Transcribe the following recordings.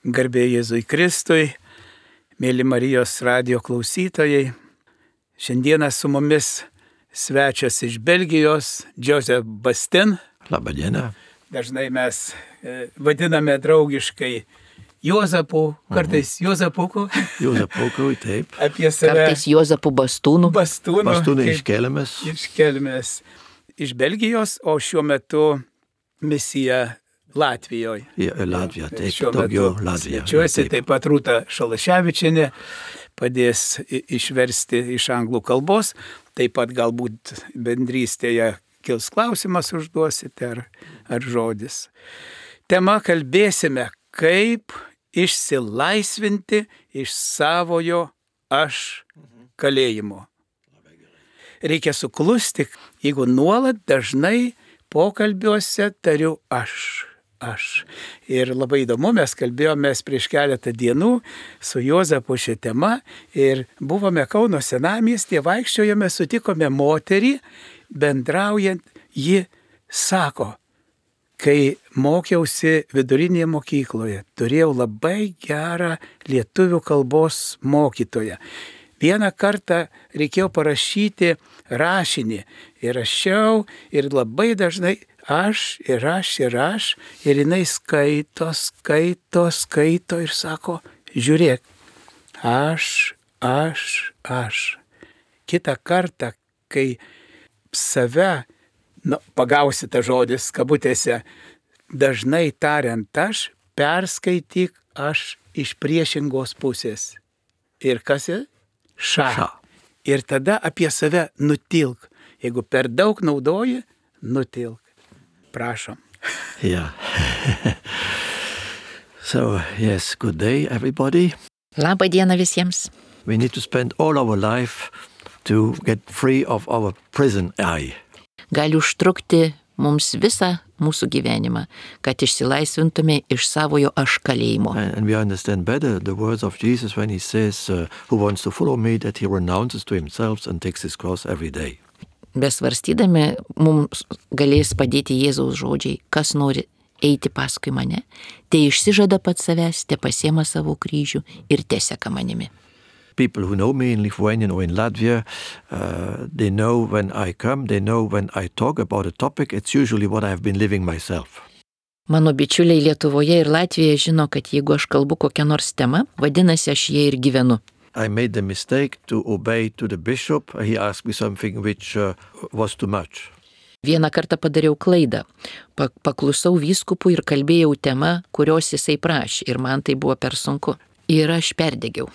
Garbė Jėzui Kristui, mėly Marijos radijo klausytojai. Šiandieną su mumis svečias iš Belgijos, Joseph Bastin. Labą dieną. Dažnai mes vadiname draugiškai Juozapu, kartais Juozapuku. Juozapuku, taip. Apie save. Kartais Juozapu Bastūnu. Bastūnai iš Kelmės. Iš Kelmės. Iš Belgijos, o šiuo metu misija Latvijoje. Latvija, taip, daugiau Latvija. Svečiuosi, taip pat Rūta Šalaševičienė padės išversti iš anglų kalbos. Taip pat galbūt bendrystėje kils klausimas užduosite ar žodis. Tema kalbėsime, kaip išsilaisvinti iš savojo aš kalėjimo. Reikia suklusti, jeigu nuolat dažnai pokalbiuose tariu aš. Ir labai įdomu, mes kalbėjomės prieš keletą dienų su Juozapu šią temą ir buvome Kauno senamiestyje, vaikščiojome, sutikome moterį, bendraujant, ji sako, kai mokiausi vidurinėje mokykloje, turėjau labai gerą lietuvių kalbos mokytoją. Vieną kartą reikėjo parašyti rašinį ir rašiau ir labai dažnai aš ir jinai skaito ir sako, žiūrėk, aš. Kitą kartą, kai save, pagausi tą žodis kabutėse, dažnai tariant aš, perskaityk aš iš priešingos pusės. Ir kas yra? Ša. Ir tada apie save nutilk. Jeigu per daug naudoji, nutilk. Prašom. Yeah. So, yes, good day, everybody. Labą dieną visiems. We need to spend all our life to get free of our prison eye. Gali užtrukti mums visą mūsų gyvenimą, kad išsilaisvintume iš savojo aš kalėjimo. And we understand better the words of Jesus when he says, who wants to follow me, that he renounces to himself and takes his cross every day. Besvarstydami, mums galės padėti Jėzaus žodžiai, kas nori eiti paskui mane, tai išsižada pats savęs, te pasiema savo kryžių ir teseka manimi. People who know me in Lithuania or in Latvia, they know when I come, they know when I talk about a topic, it's usually what I have been living myself. Mano bičiuliai Lietuvoje ir Latvijoje žino, kad jeigu aš kalbu kokią nors temą, vadinasi aš jie ir gyvenu. I made the mistake to obey to the bishop. He asked me something which was too much. Vieną kartą padariau klaidą. Paklusau vyskupui ir kalbėjau temą, kurios jisai prašė ir man tai buvo per sunku. Ir aš perdegiau.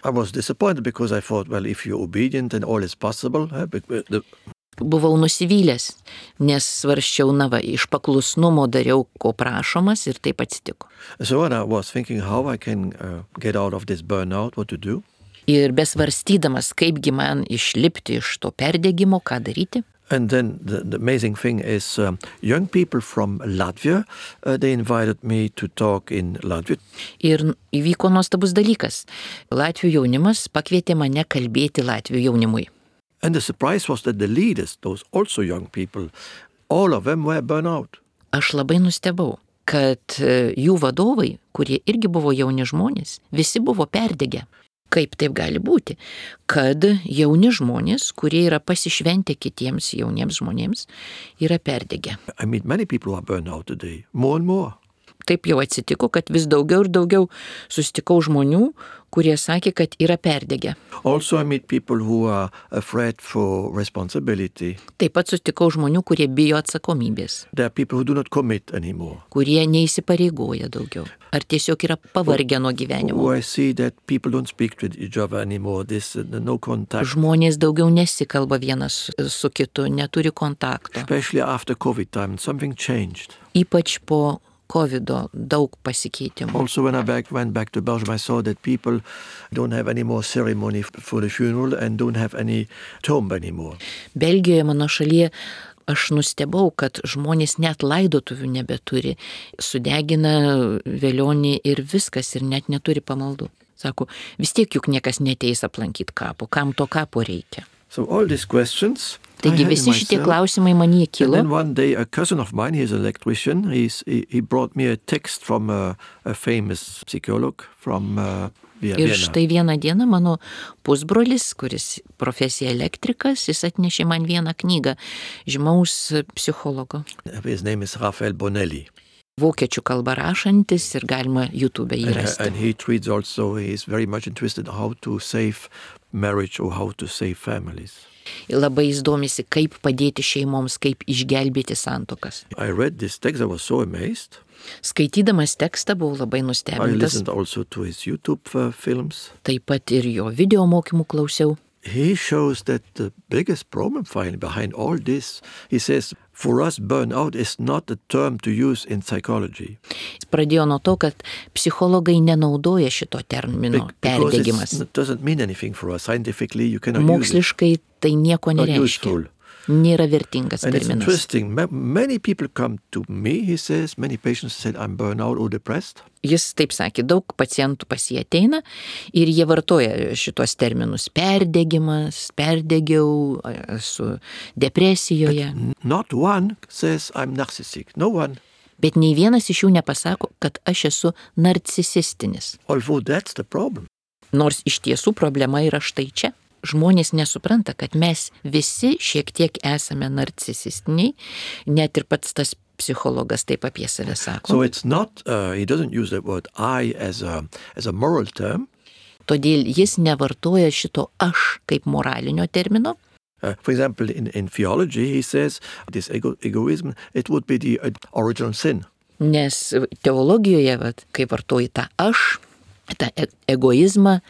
I was disappointed because I thought, well, if you're obedient then all is possible. Buvau nusivylęs, nes svarsčiau, iš paklusnumo dariau, ko prašomas ir taip atsitiko. So when I was thinking how I can get out of this burnout, what to do. Ir besvarstydamas, kaipgi man išlipti iš to perdegimo, ką daryti. And then the amazing thing is young people from Latvia, they invited me to talk in Latvian. Ir įvyko nuostabus dalykas. Latvių jaunimas pakvietė mane kalbėti Latvių jaunimui. And the surprise was that the leaders, those also young people, all of them were burned out. Aš labai nustebau, kad jų vadovai, kurie irgi buvo jauni žmonės, visi buvo perdegę. Kaip taip gali būti, kad jauni žmonės, kurie yra pasišventę kitiems jauniems žmonėms, yra perdegę. I meet many people who are burned out today, more and more. Taip jau atsitiko, kad vis daugiau ir daugiau susitikau žmonių, kurie sakė, kad yra perdegę. Also I meet people who are afraid for responsibility. Taip pat susitikau žmonių, kurie bijo atsakomybės. There are people who do not commit anymore. Kurie neįsipareigoja daugiau. Ar tiesiog yra pavargę nuo gyvenimo. I see that people don't speak to each other anymore. There's no contact. Žmonės daugiau nesikalba vienas su kitu, neturi kontakto. Especially after COVID time, something changed. Ypač po COVID daug pasikeitimų. Also when I went back to Belgium, I saw that people don't have any more ceremony for the funeral and don't have any tomb anymore. Belgijoje, mano šalyje, aš nustebau, kad žmonės net laidotuvių nebeturi, sudegina velionį ir viskas ir net neturi pamaldų. Sako, vis tiek juk niekas neteis aplankyti kapo, kam to kapo reikia. So all these questions. Taigi visi šitie klausimai man jie And kilo. then one day a cousin of mine, he's an electrician, he brought me a text from a famous psychologist from Ir Vienna. štai vieną dieną mano pusbrolis, kuris profesija elektrikas, jis atnešė man vieną knygą žymaus psichologo. His name is Raphael Bonelli. Vokiečių kalba rašantis ir galima YouTube jį rasti. And he treats also, he's very much interested in how to save marriage or how to save families. Labai jis domisi, kaip padėti šeimoms, kaip išgelbėti santuokas. I read this text, I was so amazed. Skaitydamas tekstą buvau labai I nustebintas, listened also to his YouTube films. taip pat ir jo video mokymų klausiau. He shows that the biggest problem finally behind all this, he says, for us burnout is not a term to use in psychology. Jis pradėjo nuo to, kad psichologai nenaudoja šito termino Because perdegimas. it doesn't mean anything for us. Scientifically, you cannot use it. Moksliškai tai nieko Not nereiškia. useful. Nėra vertingas And it's terminas. interesting. Many people come to me, he says, many patients said, I'm burnout or depressed. Jis taip sakė, daug pacientų pas jį ateina ir jie vartoja šitos terminus. Perdegimas, perdegiau, esu depresijoje. Not one says, I'm narcissistic. No one. Bet nei vienas iš jų nepasako, kad aš esu narcisistinis. Although that's the problem. Nors iš tiesų problema yra štai čia. Žmonės nesupranta, kad mes visi šiek tiek esame narcisistiniai, net ir pats tas psichologas taip apie save sako. So it's not, he doesn't use the word I as a moral term. Todėl jis nevartoja šito aš kaip moralinio termino. For example, in theology, he says this egoism, it would be the original sin. Nes teologijoje, kai vartoji tą aš, tą egoizmą,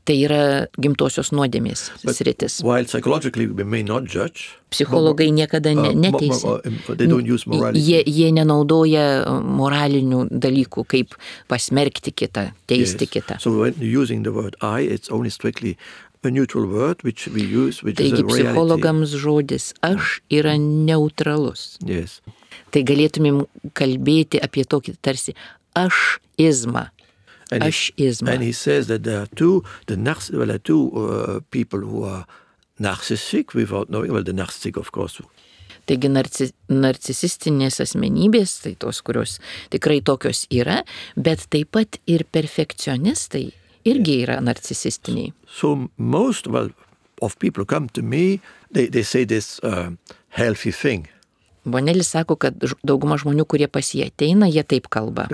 tai yra gimtosios nuodėmės sritis. While psychologically we may not judge, Psichologai niekada neteisia. they don't use morality. Jie nenaudoja moralinių dalykų, kaip pasmerkti kitą, teisti kitą. So when using the word I, it's only strictly a neutral word which we use, which is Taigi a reality. psichologams žodis aš yra neutralus. Yes. Tai galėtumėm kalbėti apie tokį tarsi aš-izmą. And he says that there are two people who are narcissistic without knowing. Well, the narcissistic, of course. Taigi narcisistinės asmenybės, tai tos, kurios tikrai tokios yra, bet taip pat ir perfekcionistai irgi yra narcisistiniai. So most of people come to me, they say this healthy thing. Bonelis sako, kad dauguma žmonių, kurie pas jį ateina, jie taip kalba.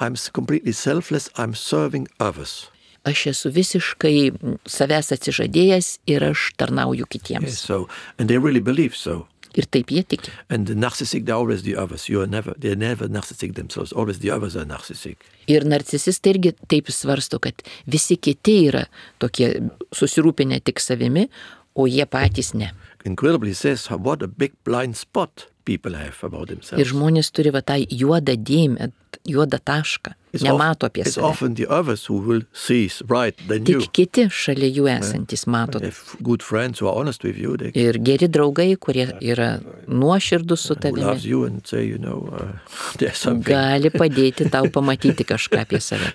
I'm completely selfless, I'm serving others. Aš esu visiškai savęs atsižadėjęs ir aš tarnauju kitiems. Yes, and they really believe so. Ir taip jie tiki. And the narcissistic, they're always the others. They're never narcissistic themselves. Always the others are narcissistic. Ir narcisistai irgi taip svarsto, kad visi kiti yra tokie susirūpinę tik savimi, o jie patys ne. Incredibly says what a big blind spot people have about themselves. Ir žmonės turi va tą juodą dėmę, juodą tašką, nemato apie It's save. often the others who will see right than you. Tik kiti šalia jų esantis mato. They have good friends who are honest with you. They Ir geri draugai, kurie yra nuoširdus su who tavimi, loves you and say, there's something. gali padėti tau pamatyti kažką apie save.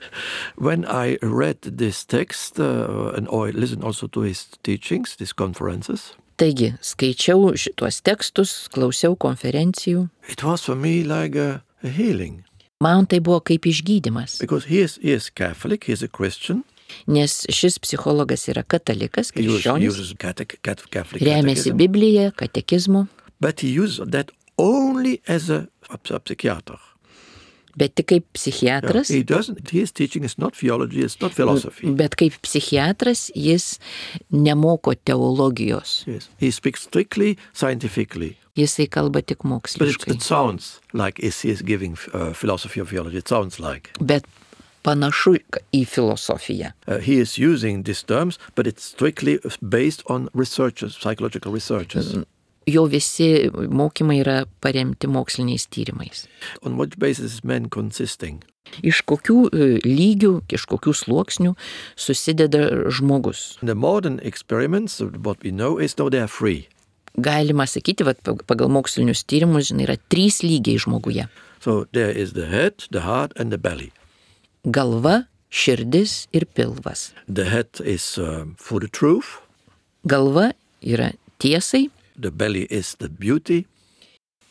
When I read this text and I listened also to his teachings, these conferences, Taigi, skaičiau šituos tekstus, klausiau konferencijų. it was for me like a healing. Man tai buvo kaip išgydymas, Because he is Catholic, he is a Christian. nes šis psichologas yra katalikas, He krikščionis, uses Catholic remiasi catechism. Bibliją, katekizmu, But he uses that only as a psychiater. bet tik kaip psichiatras. His teaching is not theology, it's not philosophy. Bet kaip psichiatras jis nemoko teologijos. Yes. He speaks strictly scientifically. Jisai kalba tik But moksliškai. it sounds like he is giving philosophy or theology. It sounds like. Bet panašu į filosofiją. He is using these terms, but it's strictly based on researchers, psychological researchers. Jo visi mokymai yra paremti moksliniais tyrimais. On what basis is man consisting? Iš kokių lygių, iš kokių sluoksnių susideda žmogus. The modern experiments, what we know is they are free. Galima sakyti, pagal mokslinius tyrimus, yra 3 lygiai žmoguje. So there is the head, the heart and the belly. Galva, širdis ir pilvas. The head is for the truth. Galva yra tiesai, the belly is the beauty,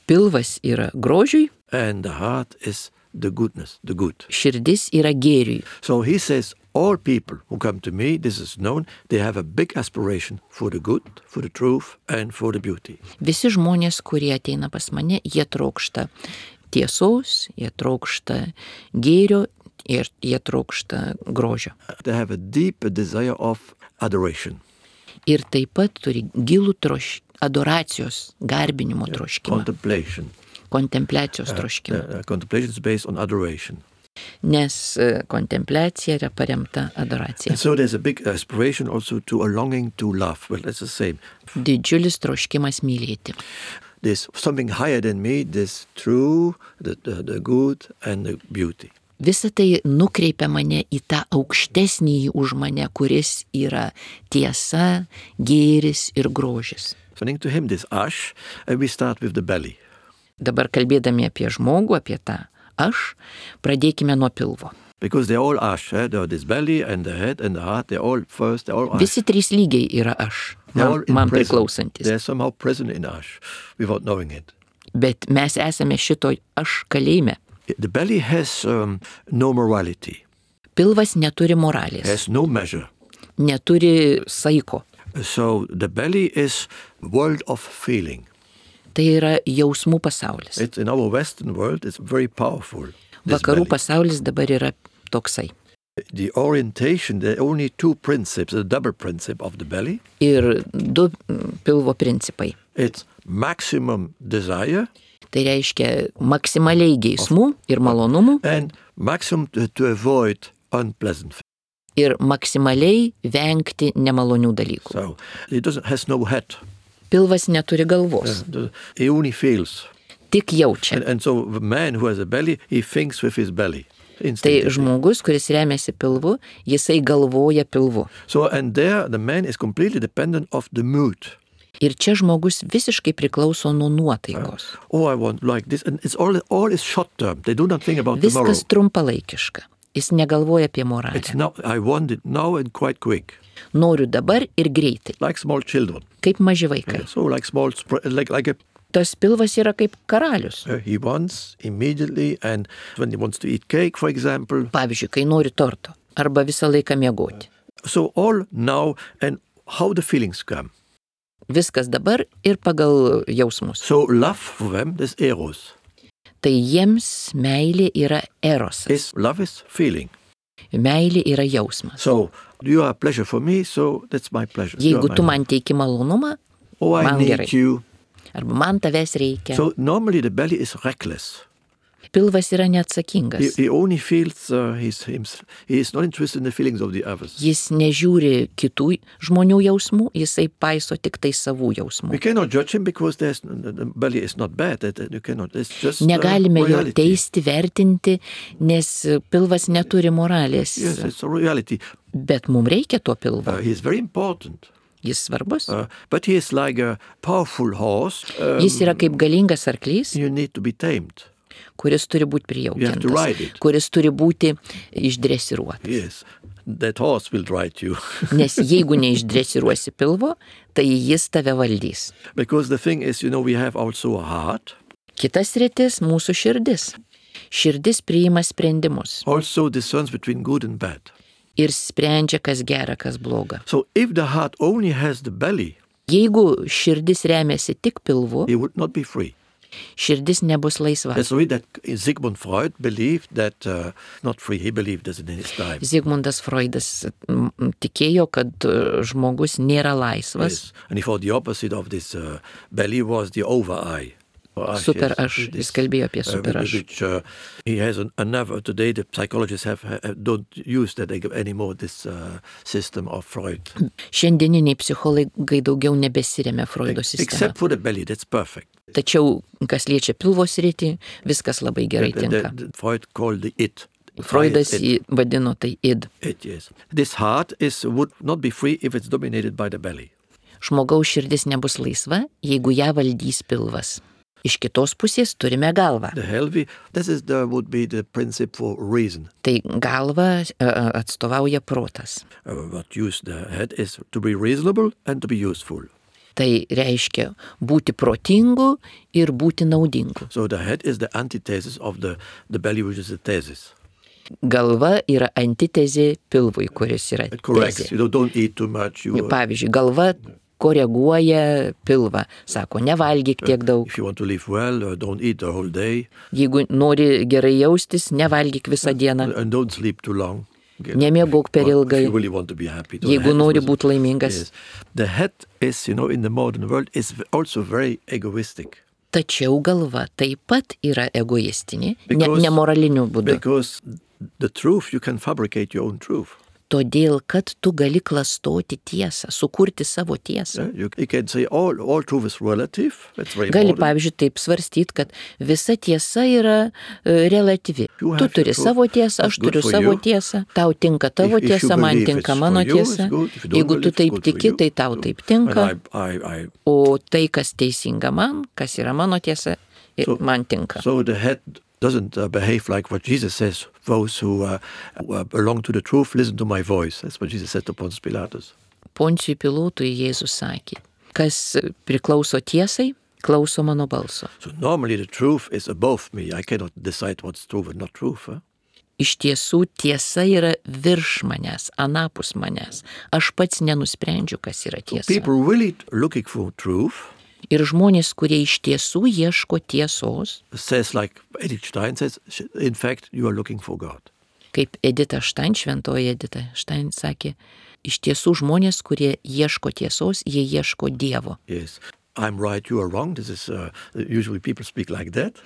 pilvas yra grožiui, and the heart is the goodness, the good. širdis yra gėriui. So he says, all people who come to me, this is known, they have a big aspiration for the good, for the truth, and for the beauty. Visi žmonės, kurie ateina pas mane, jie trokšta tiesos, jie trokšta gėrio ir jie trokšta grožio. They have a deep desire of adoration, Ir taip pat turi gilų adoracijos, garbinimo troškimą, contemplation. kontempliacijos troškimą. Contemplation is based on adoration. Nes kontempliacija yra paremta adoracija. And so there's a big aspiration also to a longing to love. Well, that's the same. Didžiulis troškimas mylėti. There's something higher than me, this true, the good, and the beauty. Visa tai nukreipia mane į tą aukštesnį už mane, kuris yra tiesa, gėris ir grožis. Turning to him, this ash, and we start with the belly. Dabar kalbėdami apie žmogų, apie tą aš, pradėkime nuo pilvo. Because they're all ash, this belly and the head and the heart, they're all first, they're all ash. Visi trys lygiai yra aš, man priklausantis. They're somehow present in ash, without knowing it. Bet mes esame šito aš kalėjime. The belly has no morality, Pilvas neturi moralės, has no measure. neturi saiko. So the belly is world of feeling. Tai yra jausmų pasaulis. It's in our Western world, it's very powerful. this Vakarų belly. pasaulis dabar yra toksai. The orientation, there are only two principles, the double principle of the belly. Ir du pilvo principai. It's maximum desire Tai reiškia maksimaliai geismų ir malonumų and maximum to avoid unpleasant things. ir maksimaliai vengti nemalonių dalykų. So it has no head. Pilvas neturi galvos, He only feels. tik jaučia. And so the man who has a belly, he thinks with his belly. Tai Instinctively. žmogus, kuris remiasi pilvu, jisai galvoja pilvu. So, and there the man is completely dependent of the mood. Ir čia žmogus visiškai priklauso nuo nuotaikos. Oh, I want like this. And it's all is short term. They do not think about tomorrow. Viskas trumpalaikiška. Jis negalvoja apie moralę. It's now, I want it now and quite quick. Noriu dabar ir greitai, Like small children. kaip maži vaikai. So like small, like a, Tas pilvas yra kaip karalius. he wants immediately, and when he wants to eat cake, for example. Pavyzdžiui, kai nori torto arba visą laiką miegoti. So all now, and how the feelings come. Viskas dabar ir pagal jausmus. So love for them, this eros. Tai jiems meilė yra erosas. Love is feeling. Meilė yra jausmas. So you are a pleasure for me, so that's my pleasure. You are Jeigu my tu love. man teiki malonumą, Oh, I man need gerai. you. Arba man tavęs reikia. So normally the belly is reckless. Pilvas yra neatsakingas. He only feels, he is not interested in the feelings of the others. Jis nežiūri kitų žmonių jausmų, jisai paiso tik tai savų jausmų. We cannot judge him because the belly is not bad. You cannot. It's just Negalime jo reality. teisti, vertinti, nes pilvas neturi moralės. Yes, it's a reality. Bet mums reikia to pilvo. He is very important. Jis svarbus. But he is like a powerful horse. Jis yra kaip galingas arklys, You need to be tamed. kuris turi būti You have to prijaukintas, ride it. kuris turi būti išdresiruotas. Yes, that horse will ride you. Nes jeigu neišdresiruosi pilvo, tai jis tave valdys. Because the thing is, we have also a heart. Kitas rytis - mūsų širdis. Širdis priima sprendimus Also discerns between good and bad. ir sprendžia, kas gera, kas bloga. So if the heart only has the belly, Jeigu širdis remiasi tik pilvu, he would not be free. širdis nebus laisva. That's the way that Sigmund Freud believed that, not free, he believed this in his time. Zigmundas Freudas tikėjo, kad žmogus nėra laisvas. Yes. And he thought the opposite of this belly was the over-eye. Super aš, jis kalbėjo apie super aš. Which he has another, today the psychologists don't use that anymore, this system of Freud. Šiandieniniai psichologai daugiau nebesiremia Freudo sistemą. Except for the belly, that's perfect. Tačiau, kas liečia pilvo sritį, viskas labai gerai tinka. Freud called the it. Freudas jį vadino tai id. It, yes. This heart would not be free if it's dominated by the belly. Žmogaus širdis nebus laisva, jeigu ją valdys pilvas. Iš kitos pusės turime galvą. The healthy, would be the principle for reason. Tai galva atstovauja protas. What use the head is to be reasonable and to be useful. Tai reiškia būti protingu ir būti naudingu. So the head is the antithesis of the belly, which is the thesis. Galva yra antitezė pilvui, kuris yra It corrects. tezė. You don't eat too much. Pavyzdžiui, galva koreguoja pilvą, sako, nevalgyk tiek daug. If you want to live well, don't eat the whole day. Jeigu nori gerai jaustis, nevalgyk visą dieną. And don't sleep too long. Nemiegok per ilgai. If you really want to be happy. Jeigu nori būti laimingas. Yes. The head is, in the modern world, is also very egoistic. Tačiau galva taip pat yra egoistinė, Because- nemoraliniu būdu. Because the truth, you can fabricate your own truth. Todėl, kad tu gali klastoti tiesą, sukurti savo tiesą. You can say all truth is relative. That's very Gali, important. pavyzdžiui, taip svarstyti, kad visa tiesa yra relatyvi. You Tu have turi your truth. savo tiesą, That's aš good turiu for savo you. tiesą, tau tinka tavo If you tiesa, man believe tinka it's mano for you, it's tiesa. good. If you don't Jeigu believe tu it's taip good for tiki, you. tai tau So- taip tinka, and I o tai, kas teisinga man, kas yra mano tiesa, man tinka. So the head doesn't behave like what Jesus says. Those who belong to the truth, listen to my voice. That's what Jesus said to Pontius Pilatus. Poncijui Pilotui Jėzus sakė, kas priklauso tiesai, klauso mano balso. So normally the truth is above me. I cannot decide what's truth and not truth. Iš tiesų tiesa yra virš manęs, anapus manęs. Aš pats nenusprendžiu, kas yra tiesa. People really looking for truth Ir žmonės, kurie iš tiesų ieško tiesos, says, like Edith Stein says, in fact, you are looking for God. kaip Edita Štain, šventoji Edita Štain sakė, iš tiesų žmonės, kurie ieško tiesos, jie ieško Dievo. Yes. I'm right, you are wrong. This is usually people speak like that.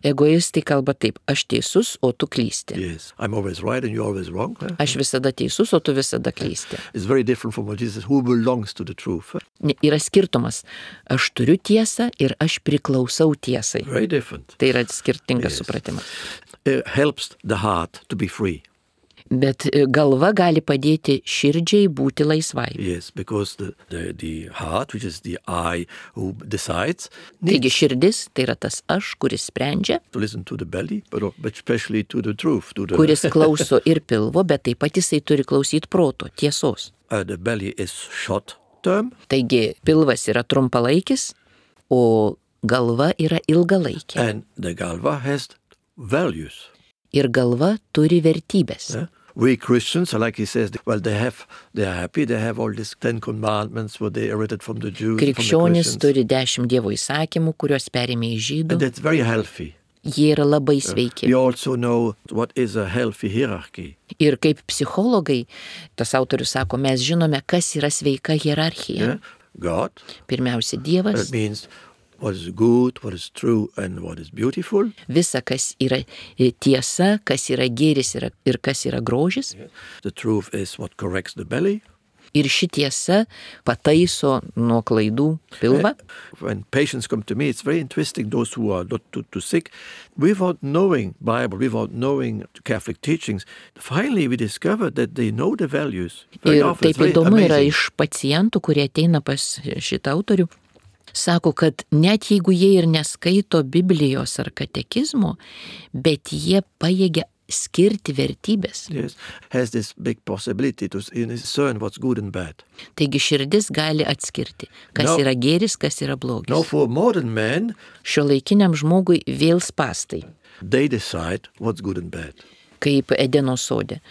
Egoistai kalba taip, aš teisus, o tu klysti. Yes. I'm always right and you're always wrong. Aš visada teisus, o tu visada klysti. It's very different from what Jesus says, who belongs to the truth. Yra skirtumas. Aš turiu tiesą ir aš priklausau tiesai. Very different. Tai yra skirtingas Yes. supratimas. It helps the heart to be free. Bet galva gali padėti širdžiai būti laisvai. Yes, because the heart, which is the I who decides, Taigi needs širdis tai yra tas aš, kuris sprendžia, to listen to the belly, but especially to the truth. To the, kuris klauso ir pilvo, bet taip pat jisai turi klausyti proto, tiesos. The belly is short term, Taigi pilvas yra trumpalaikis, o galva yra ilgalaikė. and the galva has values. Ir galva turi vertybės. Yeah? We Christians, like he says, well, they are happy, they have all these 10 commandments, what they inherited from the Jews, from the Krikščionys Christians. turi 10 Dievo įsakymų, kuriuos perėmė iš žydų. And that's very healthy. Jie yra labai sveiki. We also know what is a healthy hierarchy. Ir kaip psichologai, tas autorius sako, mes žinome, kas yra sveika hierarchija. Yeah? God, Pirmiausia, Dievas, that means what is good, what is true, and what is beautiful. visa, kas yra tiesa, kas yra gėris ir kas yra grožis. The truth is what corrects the belly. Ir ši tiesa pataiso nuo klaidų pilvą. When patients come to me, it's very interesting, those who are not too sick, without knowing Bible, without knowing Catholic teachings, finally we discover that they know the values. Very Ir often, it's taip very įdomu yra amazing. iš pacientų, kurie ateina pas šitą autorių. Sako, kad net jeigu jie ir neskaito Biblijos ar katekizmo, bet jie pajėgia skirti vertybės. Yes, has this big possibility to discern what's good and bad. Taigi širdis gali atskirti, kas No. yra gėris, kas yra blogis. Now for modern men, Šiuolaikiniam žmogui vėl spastai, they decide what's good and bad. kaip Edeno sode,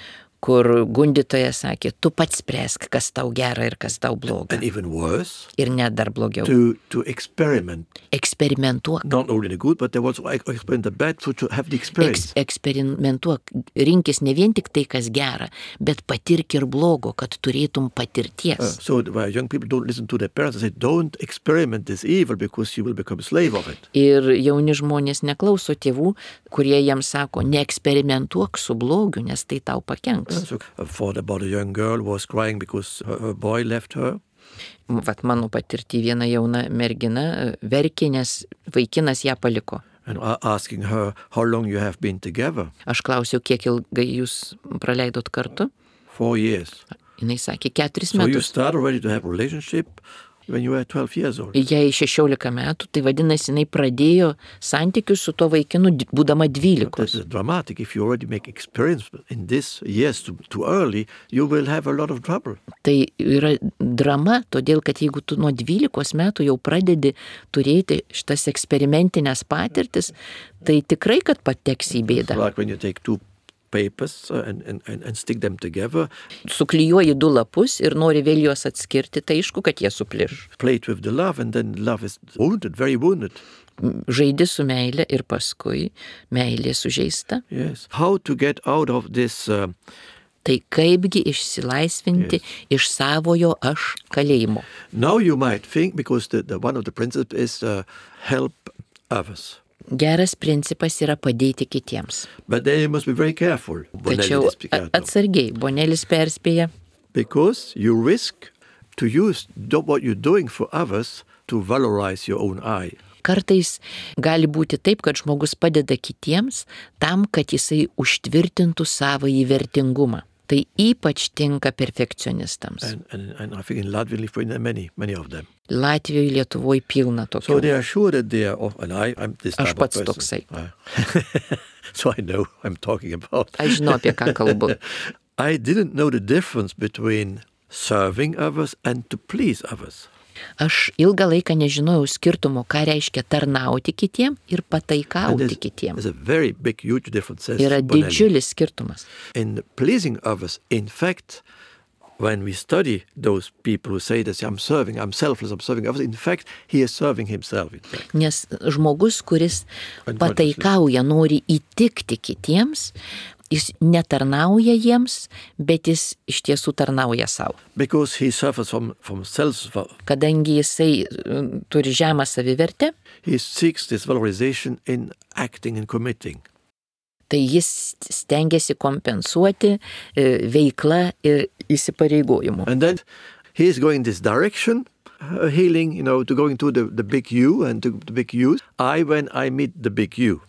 kur gundytojas sakė, tu pats spręsk, kas tau gera ir kas tau bloga. And even worse, Ir net dar blogiau. to experiment. Eksperimentuok. Not only the good, but they also experiment the bad to have the experience. Eksperimentuok. Rinkis ne vien tik tai, kas gera, bet patirk ir blogo, kad turėtum patirties. So why young people don't listen to their parents and say, don't experiment this evil because you will become a slave of it. Ir jauni žmonės neklauso tėvų, kurie jiems sako, neeksperimentuok su blogiu, nes tai tau pakenks. So I thought about a young girl who was crying because her boy left her. Vat mano patirti viena jauna mergina verkė, nes vaikinas ją paliko. And asking her how long you have been together. Aš klausiau, kiek ilgai jūs praleidot kartu. 4 years. Jinai sakė, 4 So you metus. start already to have a relationship. when you were 12 years old. Jai 16 metų, tai vadinasi, jinai pradėjo santykius su tuo vaikinu, būdama 12. That's dramatic. If you already make experience in this years too early, you will have a lot of trouble. Tai yra drama, todėl kad jeigu tu nuo 12 metų jau pradedi turėti šitas eksperimentinės patirtis, tai tikrai, kad pateksi į bėdą. Like when you take two papers and stick them together. Suklijuoji 2 lapus ir nori vėl juos atskirti, tai aišku, kad jie supliš. Play it with the love and then love is wounded, very wounded. Žaidi su meilė ir paskui meilė sužeista. Yes. How to get out of this... Tai kaipgi išsilaisvinti iš savojo aš kalėjimo. Now you might think, because one of the principles is help others. Geras principas yra padėti kitiems. But then you must be very careful. Tačiau atsargiai, Bonelis perspėja. Because you risk to use what you're doing for others to valorize your own I. Kartais gali būti taip, kad žmogus padeda kitiems tam, kad jisai užtvirtintų savąjį vertingumą. Tai ypač tinka perfekcionistams. And I think in Latvia, many of them. Latvijoje, Lietuvoje pilna tokių. So they are sure that they are, and I'm this type Aš pats of person. toksai. So I know I'm talking about. Aš žinau, apie ką kalbu. I didn't know the difference between serving others and to please others. Aš ilgą laiką nežinojau skirtumo, ką reiškia tarnauti kitiem ir pataikauti kitiem. There's a very big, huge difference. Yra didžiulis skirtumas. In pleasing others, in fact, when we study those people who say that I'm selfless, I'm serving others, in fact, he is serving himself. Nes žmogus, kuris pataikauja, nori įtikti kitiems, jis netarnauja jiems, bet jis iš tiesų tarnauja savo. Because he suffers from self. Kadangi jisai turi žemą savivertę, he seeks this valorization in acting and committing. Tai jis stengiasi kompensuoti veiklą ir įsipareigojimu. And then he is going this direction, healing, to going to the big you and to the big you. When I meet the big you.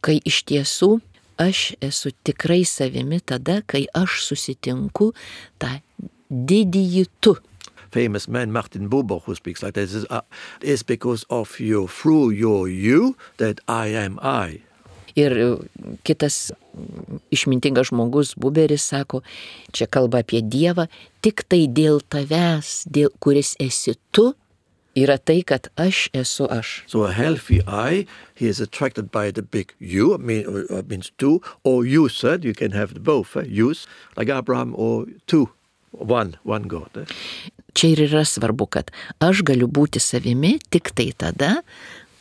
Kai iš tiesų aš esu tikrai savimi tada, kai aš susitinku tą didįjį tu. Famous man Martin Buber, who speaks like this, is because of you, through your you, that I am I. Ir kitas išmintingas žmogus, Buberis, sako, čia kalba apie Dievą, tik tai dėl tavęs, kuris esi tu, yra tai, kad aš esu aš. So a healthy I, he is attracted by the big you, means two, or you said, you can have both, yous, like Abraham, or two, one God. Čia ir yra svarbu, kad aš galiu būti savimi tik tai tada,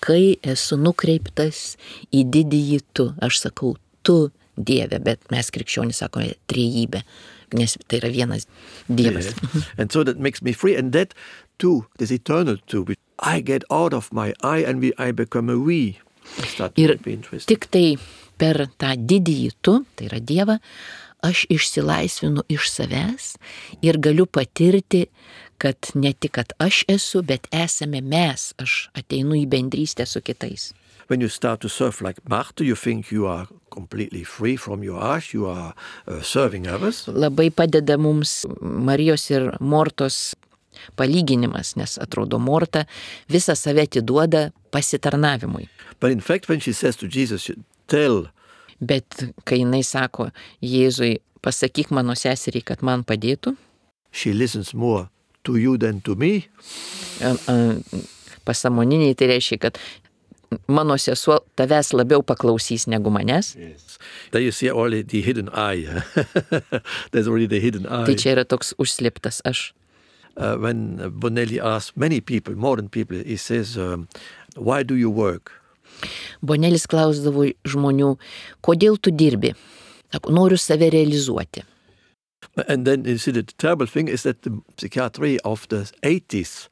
kai esu nukreiptas į didįjį tu. Aš sakau tu Dieve, bet mes krikščionys sakome trejybė, nes tai yra vienas Dievas. Yes. And so that makes me free, and that too, this eternal too, I get out of my I and I become a we. Ir tik tai per tą didįjį tu, tai yra Dievą, aš išsilaisvinu iš savęs ir galiu patirti, kad ne tik, kad aš esu, bet esame mes, aš ateinu į bendrystę su kitais. When you start to serve like Martha, you think you are completely free from your ash, you are serving others. Labai padeda mums Marijos ir Mortos palyginimas, nes atrodo Morta visą save atiduoda pasitarnavimui. But in fact, when she says to Jesus, Bet kai jinai sako Jėzui, pasakyk mano seseriai, kad man padėtų, she listens more to you than to me. Pasąmoniniai tai reiškia, kad mano sesuo tavęs labiau paklausys negu manęs. Yes. There you see already the hidden I. There's already the hidden I. Tai čia yra toks užslėptas aš. When Bonelli asks many people, modern people, he says, why do you work? Bonelis klausdavo žmonių, kodėl tu dirbi? Sako, noriu save realizuoti. And then you see the terrible thing is that the psychiatry of the 80s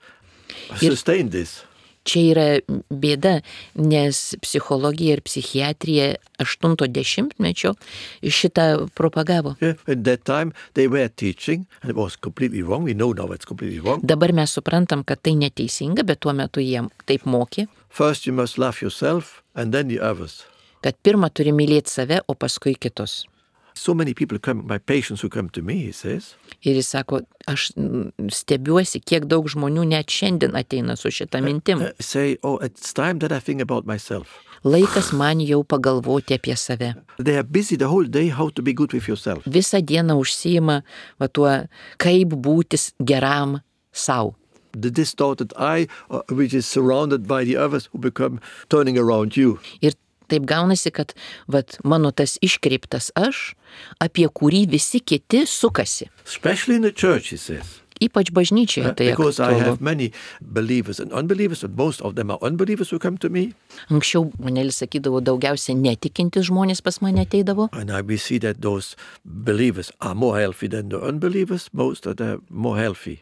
sustained this. Čia yra bėda, nes psichologija ir psichiatrija 80-mečio šitą propagavo. Yeah, at that time they were teaching, and it was completely wrong. We know now it's completely wrong. Dabar mes suprantam, kad tai neteisinga, bet tuo metu jie taip mokė. First you must love yourself and then the others. Kad pirmą turi mylėti save, o paskui kitus. So many people come, my patients who come to me, he says. Ir jis sako, aš stebiuosi, kiek daug žmonių net šiandien ateina su šitą mintim. Say, oh, it's time that I think about myself. Laikas man jau pagalvoti apie save. They are busy the whole day how to be good with yourself. Visą dieną užsiima tuo, kaip būti geram savo. The distorted I, which is surrounded by the others who become turning around you. Ir taip gaunasi, kad mano tas iškreiptas aš, apie kurį visi kiti sukasi. Especially in the church, he says. Ypač bažnyčioje tai Because I aktualu. have many believers and unbelievers, and most of them are unbelievers who come to me. Anksčiau manelis sakydavo, daugiausia netikintis žmonės pas mane ateidavo. And we see that those believers are more healthy than the unbelievers. Most of them are more healthy.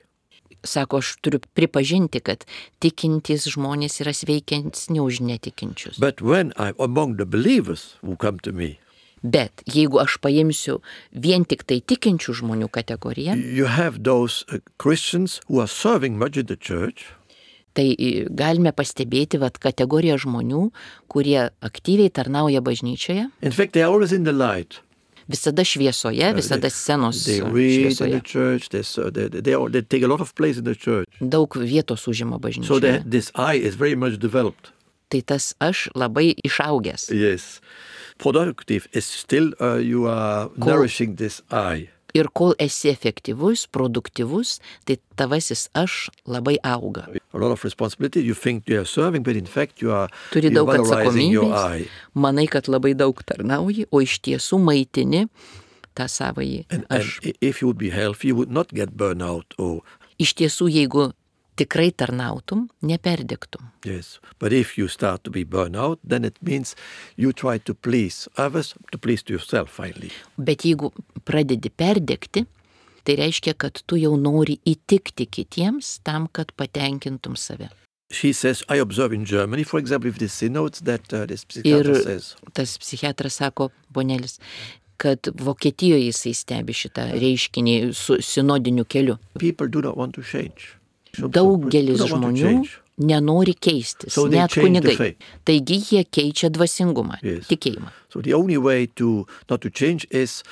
Sako, aš turiu pripažinti, kad tikintys žmonės yra sveikesni už netikinčius. But when I'm among the believers who come to me, Bet jeigu aš paimsiu vien tik tai tikinčių žmonių kategoriją, you have those Christians who are serving much in the church. tai galime pastebėti kategoriją žmonių, kurie aktyviai tarnauja bažnyčioje, In fact, they are always in the light. visada šviesoje, visada scenos They read in šviesoje. the church. They take a lot of place in the church. Daug vietos užima So bažnyčioje. this I is very much developed. Tai tas aš labai išaugęs. Yes. Productive is still you are nourishing this I. Ir kol esi efektyvus, produktyvus, tai tavasis aš labai auga. A lot of responsibility. You think you are serving, but in fact you are Turi daug valorizing your atsakomybės, I. manai, kad labai daug tarnauji, o iš tiesų maitini tą savąjį And aš. if you would be healthy, you would not get burnout. Oh, Iš tiesų, jeigu tikrai tarnautum, neperdegtum. yes. But if you start to be burnout, then it means you try to please others, to please yourself finally. Bet jeigu pradedi perdegti, tai reiškia, kad tu jau nori įtikti kitiems tam, kad patenkintum save. She says, I observe in Germany, for example, with the synods that this psychiatrist Ir says. tas psichiatras sako, ponelis, kad Vokietijoje jisai stebi šitą reiškinį su sinodiniu keliu. People do not want to change. Daugelis Do not want to žmonių change. nenori keistis, So they net change the kunigai. faith. Taigi jie keičia dvasingumą, Yes. tikėjimą. So the only way to not to change is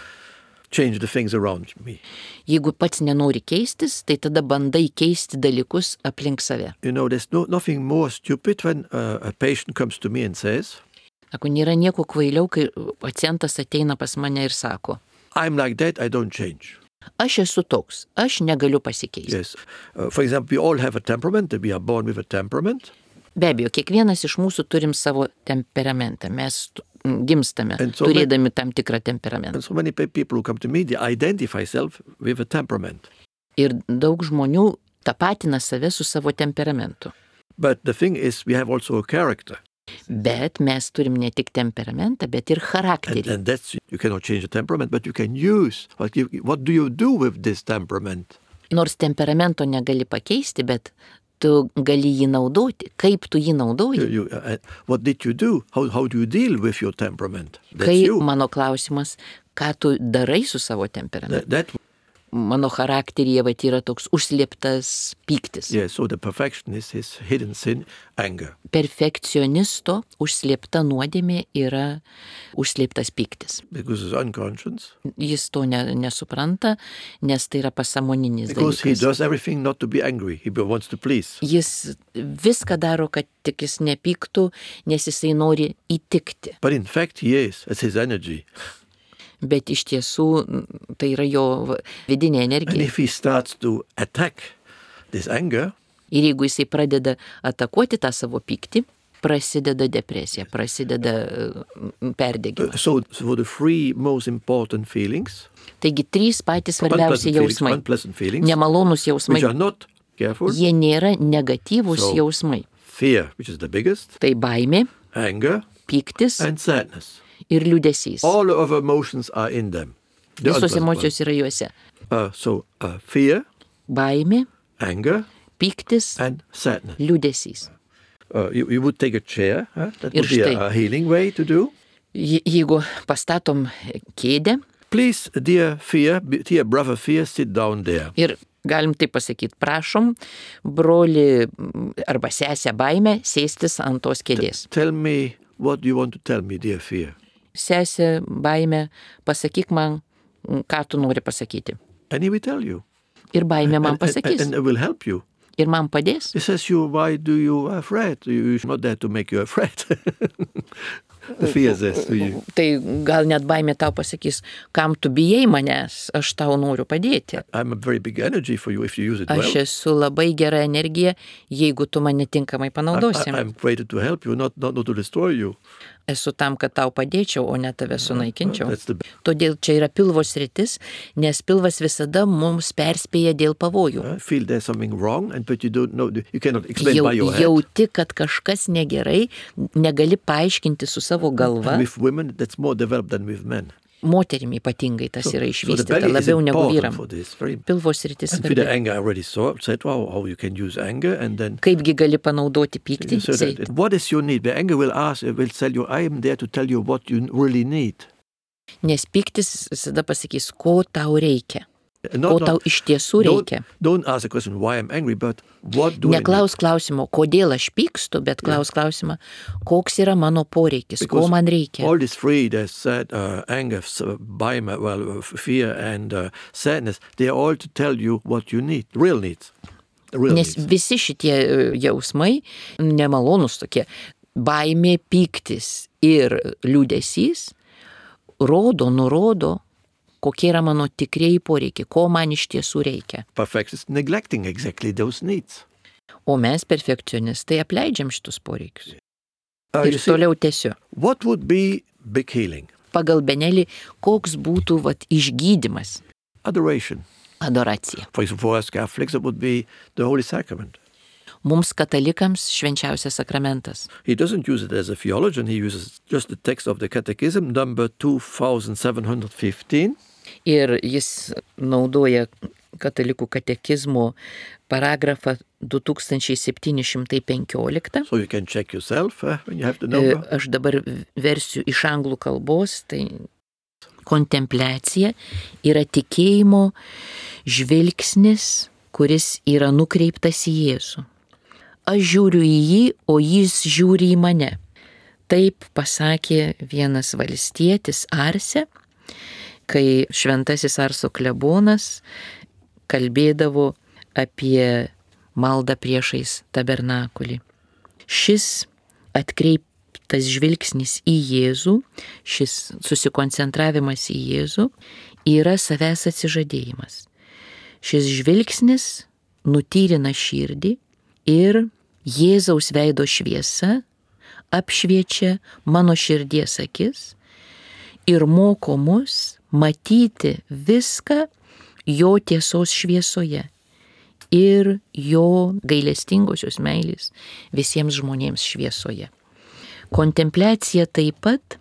change the things around me. Jeigu pats nenori keistis, tai tada bandai keisti dalykus aplink save. You know, there's nothing more stupid when a patient comes to me and says, Sako, nėra nieko kvailiau, kai pacientas ateina pas mane ir sako, I'm like that, I don't change. aš esu toks, aš negaliu pasikeisti. Yes. For example, we all have a temperament, we are born with a temperament. Be abejo, kiekvienas iš mūsų turim savo temperamentą. Mes gimstame, And so turėdami tam tikrą temperamentą. And so many people who come to me, they identify self with a temperament. Ir daug žmonių tapatina save su savo temperamentu. But the thing is, we have also a character. Bet mes turim ne tik temperamentą, bet ir charakterį. And that's, you cannot change the temperament, but you can use, what do you do with this temperament? Nors temperamento negali pakeisti, bet tu gali jį naudoti. Kaip tu jį naudoji? What did you do? How do you deal with your temperament? That's Kai you. mano klausimas, ką tu darai su savo temperamentu? That Mano charakteryje yra toks užslėptas pyktis. yeah, so the perfectionist, his hidden sin, anger. Perfekcionisto užslėpta nuodėmė yra užslėptas pyktis. Because it's unconscious. Jis to nesupranta, nes tai yra pasąmoninis Because he dalykas. does everything not to be angry. He wants to please. Jis viską daro, kad tik jis nepyktų, nes jisai nori įtikti. But in fact, he is. It's his energy. Bet iš tiesų tai yra jo vidinė And energija. if he starts to attack this anger, Ir jeigu jisai pradeda atakuoti tą savo pyktį, prasideda depresija, prasideda perdegimas. so for the three most important feelings, Taigi trys patys svarbiausi jausmai. unpleasant feelings, Nemalonus jausmai. which are not careful, Jie nėra negatyvūs So- jausmai. fear, which is the biggest, Tai baimė, anger, pyktis and sadness. ir liūdesys. All of emotions are in them. The Visos unpleasant emocijos yra juose. ones. So fear, Baimė, anger, pyktis, and sadness. liūdesys. You would take a chair. That Ir would be štai. a healing way to do. Jeigu pastatom kėdę Please, dear brother fear, sit down there. ir galim taip pasakyti, prašom, broli arba sesę baimę sėstis ant tos kėdės. Tell me what you want to tell me, dear fear. sesė, baimė, pasakyk man, ką tu nori pasakyti. And he will tell you. Ir baimė man pasakys. And it will help you. Ir man padės. He says, why do you afraid? You're not there to make you afraid. The fear says to you. Tai gal net baimė tau pasakys, kam tu bijai manęs, aš tau noriu padėti. I'm a very big energy for you if you use it well. Aš esu labai gera energija, jeigu tu mane tinkamai panaudosi. I'm created to help you, not to destroy you. Esu tam, kad tau padėčiau, o ne tave sunaikinčiau. That's the Todėl čia yra pilvo sritis, nes pilvas visada mums perspėja dėl pavojų. feel there's something wrong, but you don't know. You cannot explain by your head. Jauti, kad kažkas negerai, negali paaiškinti su savo galva. And with women, that's more developed than with men. Moterim ypatingai tas yra So the išvystyta, belly is labiau negu important vyram. for this. Very Pilvo sritis And with the svarbi. anger, I already said how you can use anger, and then Kaipgi gali panaudoti pyktį? so that, what is your need? The anger will tell you, I am there to tell you what you really need. Nes pyktis visada pasakys, ko tau reikia, No, ko tau iš tiesų reikia. Don't ask the question, why I'm angry, but what do I need? Neklaus klausimo, kodėl aš pykstu, bet klaus klausimą, koks yra mano poreikis, ko man reikia. All these three, there's sad, anger, fear, and sadness, they are all to tell you what you need, real needs. The real Nes needs. visi šitie jausmai, nemalonus tokie, baimė, pyktis ir liūdesys, nurodo, kokie yra mano tikrieji poreikiai, ko man iš tiesų reikia. Perfectionists neglecting exactly those needs. O mes, perfekcionistai, apleidžiam šitus poreikius. You Ir see, toliau tęsiu. what would be big healing? Pagal Benelį, koks būtų išgydymas, Adoration. adoracija. For example, for us Catholics, it would be the Holy Sacrament. Mums katalikams švenčiausias sakramentas. He doesn't use it as a theologian, he uses just the text of the Catechism, number 2715. Ir jis naudoja katalikų katekizmo paragrafą 2715. So you can check yourself when you have the number. Aš dabar versiu iš anglų kalbos, tai kontempliacija yra tikėjimo žvilgsnis, kuris yra nukreiptas į Jėzų. Aš žiūriu į jį, o jis žiūri į mane. Taip pasakė vienas valstietis Arse, kai šventasis Arso klebonas kalbėdavo apie maldą priešais tabernakulį. Šis atkreiptas žvilgsnis į Jėzų, šis susikoncentravimas į Jėzų yra savęs atsižadėjimas. Šis žvilgsnis nutyrina širdį ir Jėzaus veido šviesa apšviečia mano širdies akis ir moko mus matyti viską jo tiesos šviesoje ir jo gailestingosios meilės visiems žmonėms šviesoje. Kontempliacija taip pat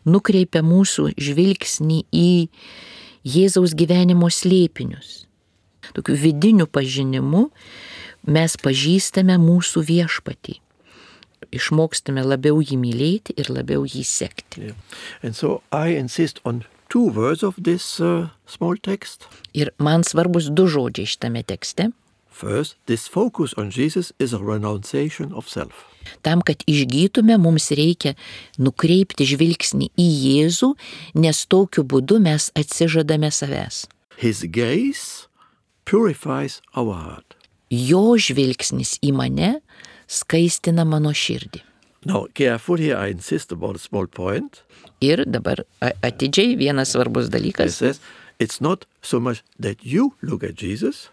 nukreipia mūsų žvilgsnį į Jėzaus gyvenimo slėpinius. Tokiu vidiniu pažinimu mes pažįstame mūsų viešpatį. Išmokstame labiau jį mylėti ir labiau jį sekti. Yeah. And so I insist on two words of this small text. Ir man svarbus du žodžiai šitame tekste. First, this focus on Jesus is a renunciation of self. Tam, kad išgytume, mums reikia nukreipti žvilgsnį į Jėzų, nes tokiu būdu mes atsižadame savęs. His gaze purifies our heart. Jo žvilgsnis į mane skaistina mano širdį. Now, careful here, I insist about a small point. Ir dabar atidžiai vienas svarbus It dalykas. says, it's not so much that you look at Jesus,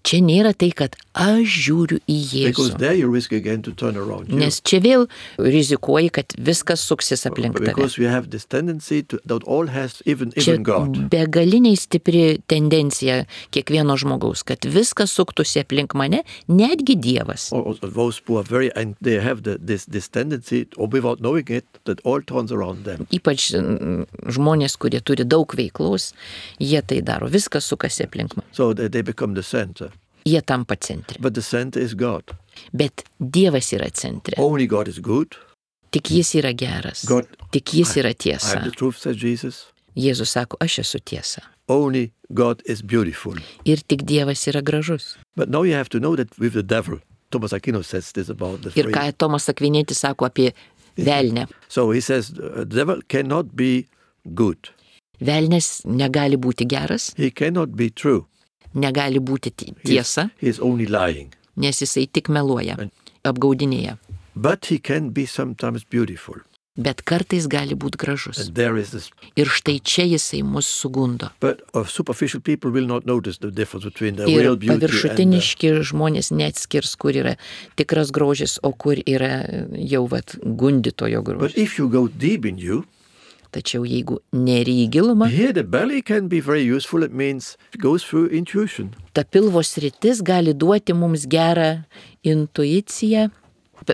Čia nėra tai, kad aš žiūriu į because Jėzų. there you risk again to turn around you. Nes čia vėl rizikuoji, kad viskas suksis aplink tave. Because we have this tendency to, that all has, even Čia God. begaliniai stipri tendencija kiekvieno žmogaus, kad viskas suktųsi aplink mane, netgi Dievas. Or those who are very, and they have this tendency, or without knowing it, that all turns around them. Ypač žmonės, kurie turi daug veiklos, jie tai daro. Viskas sukasi aplink mane. So they become the center. Jie tampa centre. But the center is God. Bet Dievas yra centre. Only God is good. Tik jis yra geras. God- Tik jis yra I tiesa. am the truth, says Jesus. Jėzus sako, aš esu tiesa. Only God is beautiful. Ir tik Dievas yra gražus. But now you have to know that with the devil, Thomas Aquinas says this about the Ir three. ką Tomas Akvinėtis sako apie Velne. So he says the devil cannot be good. Velnes negali būti geras, He cannot be true. negali būti tiesa, He is only lying. nes jisai tik meluoja, apgaudinėja. But he can be sometimes beautiful. Bet kartais gali būti gražus. And there is this. Ir štai čia jisai mus sugundo. But superficial people will not notice the difference between the Ir real beauty and paviršutiniški žmonės neatskirs, kur yra tikras grožis, o kur yra jau gundytojo But grožis. if you go deep in you, Tačiau jeigu neri į gilumą, here the belly can be very useful. It means it goes through intuition. ta pilvo sritis gali duoti mums gerą intuiciją.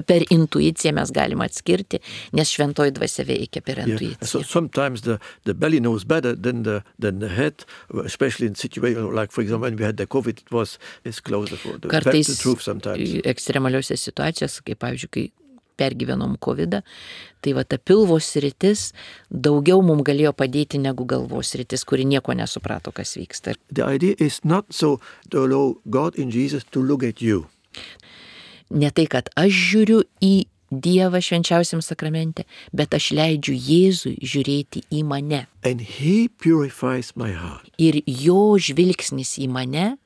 Per intuiciją mes galime atskirti, nes šventoji dvasia veikia per Yeah. So intuiciją. sometimes the belly knows better than the head, especially in situations like, for example, when we had the COVID, it's closer for the Kartais truth sometimes. ekstremaliuose situacijose, kaip pavyzdžiui, kai pergyvenom COVID, tai ta pilvo sritis daugiau mums galėjo padėti negu galvos sritis, kuri nieko nesuprato, kas vyksta. The idea is not so to allow God in Jesus to look at you. Ne tai, kad aš žiūriu į Dievą švenčiausiam sakramente, bet aš leidžiu Jėzui žiūrėti į mane. And he purifies my heart. Ir jo žvilgsnis į mane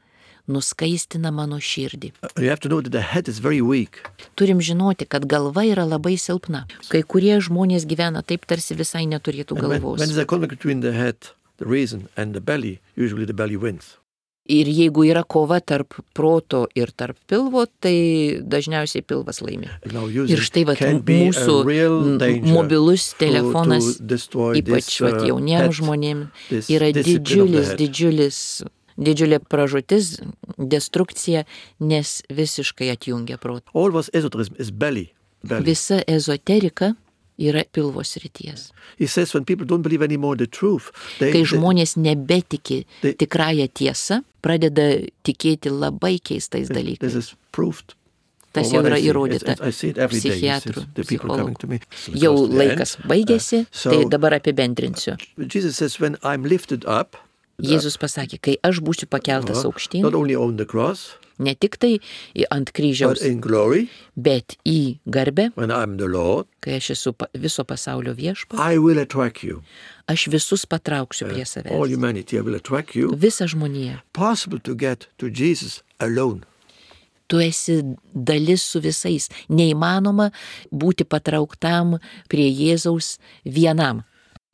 nuskaistina mano širdį. You have to know that the head is very weak. Turim žinoti, kad galva yra labai silpna. Kai kurie žmonės gyvena taip, tarsi visai neturėtų And when galvos. there's a conflict between the head, the reason, and the belly, usually the belly wins. Ir jeigu yra kova tarp proto ir tarp pilvo, tai dažniausiai pilvas laimi. Now Ir štai can be a mūsų real danger mobilus telefonas, to destroy ypač this, jauniems head, žmonėms, this yra discipline of the head. didžiulė pražūtis, destrukcija, nes visiškai atjungia protą. All was esoterism is belly. Visa ezoterika yra pilvo srities. He says when people don't believe anymore the truth, Kai žmonės nebetiki they- tikrąją tiesą, pradeda tikėti labai keistais this dalykais. is proved. Tas Or jau what yra I see. įrodyta I see it every day. psichiatrų, The people coming to me. Jau Because the laikas end, baigėsi, so tai dabar apibendrinsiu. Jesus says when I'm lifted up, Jėzus pasakė, kai aš būsiu pakeltas aukštyn, not only on the cross, ne tik tai ant but kryžiaus, in glory, bet į garbę, when I'm the Lord, kai aš esu viso pasaulio viešpats, I will attract you. aš visus patrauksiu prie All savęs. humanity, I will attract you. Visą žmoniją. Possible to get to Jesus alone. Tu esi dalis su visais. Neįmanoma būti patrauktam prie Jėzaus vienam.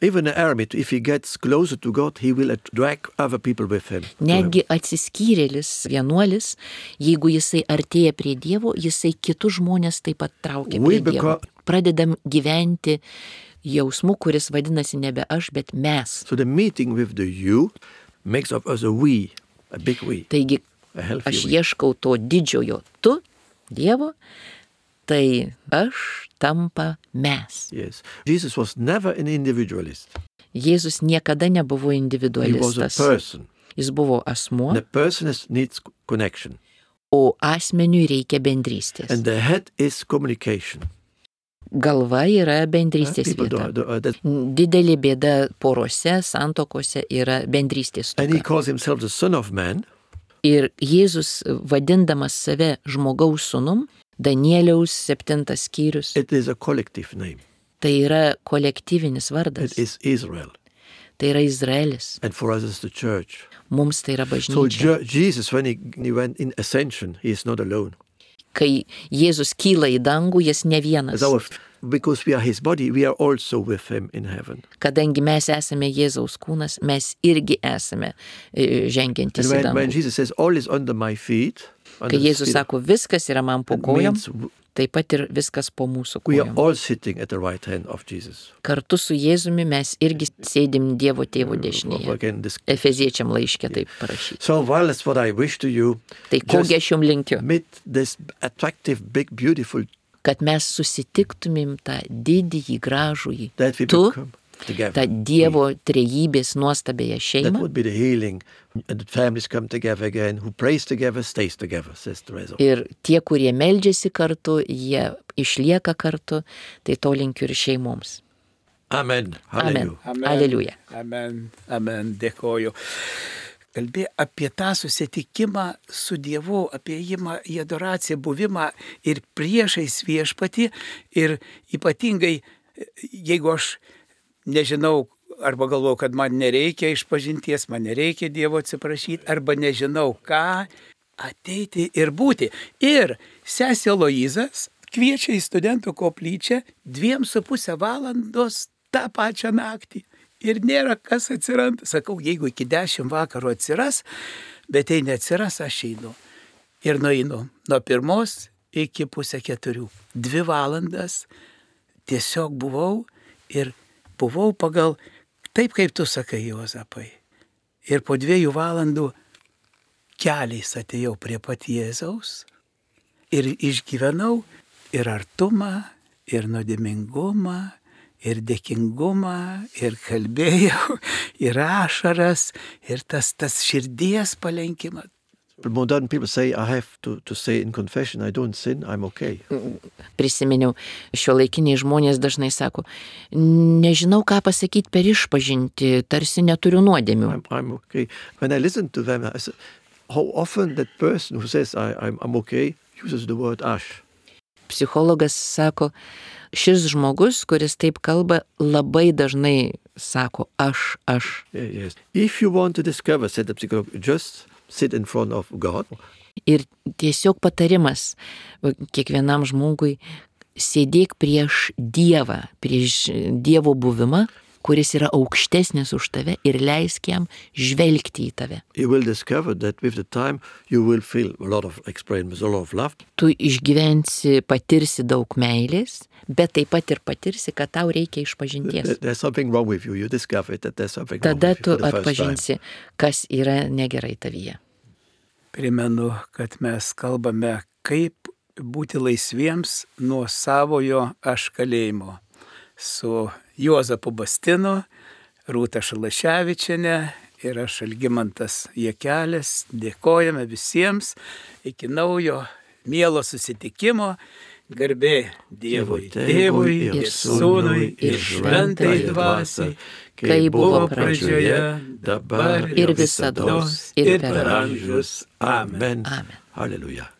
Even an eremit, if he gets closer to God, he will drag other people with him. Netgi atsiskyrėlis, vienuolis, jeigu jisai artėja prie Dievo, jisai kitus žmonės taip pat traukia We prie Dievo. become- Pradedam gyventi jausmu, kuris vadinasi nebe aš, bet mes. So the meeting with the you makes of us a we, a big we, Taigi a healthy aš we. ieškau to didžiojo tu, Dievo, tai aš tampa mes. Yes. Jesus was never an individualist. Jėzus niekada nebuvo He was a individualistas. person. Jis buvo asmuo, And the person needs connection. o asmeniui reikia bendrystės. And the head is communication. Galva yra bendrystės People vieta. that- Didelė bėda porose, santokose yra bendrystės and he stoka. calls himself the Son of Man. Ir Jėzus, vadindamas save žmogaus sūnum, Danieliaus 7 skyrius, It is a collective name. tai yra kolektyvinis vardas, It is Israel. tai yra Izraelis, And for us it's the church. mums tai yra So bažnyčia. Jesus, when he went in ascension, he is not alone. Kai Jėzus kyla į dangų, jis ne vienas. As our, because we are his body, we are also with him in heaven. Kadangi mes esame Jėzaus kūnas, mes irgi esame žengiantys į And when dangų. Jesus says, all is under my feet, under Kai the Jėzus feet, sako, viskas yra man po it kojom, means taip pat ir viskas po mūsų we are kojom. all sitting at the right hand of Jesus. Kartu su Jėzumi mes irgi sėdim Dievo tėvo dešinėje. Again, this. Efeziečiam laiške taip parašyti. So, well, that's what I wish to you. Tai kogi aš jums linkiu, Meet this attractive, big, beautiful, kad mes susitiktumėm tą didįjį, gražųjį, that we tu, become together. tą Dievo trejybės nuostabėją That šeimą. would be the healing. And the families come together again. Who prays together stays together, says Teresa. Ir tie, kurie meldžiasi kartu, jie išlieka kartu, tai to linkiu ir šeimoms. Amen. Amen. Hallelujah. Aleliuja. Amen. Amen. Dėkoju. kalbėjo apie tą susitikimą su Dievu, apie ėjimą į adoraciją, buvimą ir priešais viešpatį. Ir ypatingai, jeigu aš nežinau, arba galvoju, kad man nereikia išpažinties, man nereikia Dievo atsiprašyti, arba nežinau ką, ateiti ir būti. Ir sesė Aloyzas kviečia į studentų koplyčią 2,5 valandos tą pačią naktį. Ir nėra kas atsiranda. Sakau, jeigu iki 10 vakaro atsiras, bet tai neatsiras, aš einu. Ir nueinu nuo 1 iki 3:30. 2 valandas tiesiog buvau ir buvau pagal taip, kaip tu sakai, Juozapai. Ir po 2 valandų keliais atėjau prie pat Jėzaus ir išgyvenau ir artumą, ir nuodėmingumą, ir dėkingumą, ir kalbėjau, ir ašaras, ir tas širdies palenkimas. Modern people say, I have to say in confession, I don't sin, I'm okay. Prisiminiau, šiuolaikiniai žmonės dažnai sako, nežinau ką pasakyti per išpažinti, tarsi neturiu nuodėmių. I'm okay. When I listen to them, I say, how often that person who says I'm okay uses the word aš. Psichologas sako, šis žmogus, kuris taip kalba, labai dažnai sako aš. Yes. If you want to discover, said the psychologist, just sit in front of God. Ir tiesiog patarimas kiekvienam žmogui, sėdėk prieš Dievą, prieš Dievo buvimą, kuris yra aukštesnis už tave ir leisk jam žvelgti į tave. You will discover that with the time you will feel a lot of experience, a lot of love. Tu išgyvensi, patirsi daug meilės, bet taip pat ir patirsi, kad tau reikia išpažinties. There's something wrong with you. You discover that there's something wrong Tada with you tu for the first time. atpažinsi, kas yra negerai tavyje. Primenu, kad mes kalbame, kaip būti laisviems nuo savojo aš kalėjimo. Su Juozapu Bastinu, Rūta Šalaševičienė ir aš Algimantas Jakelis. Dėkojame visiems iki naujo mielo susitikimo. Garbė Dievui, Tėvui ir Sūnui ir Šventai Dvasiai, kaip buvo pradžioje, dabar ir visados ir per amžius. Amen. Amen. Hallelujah.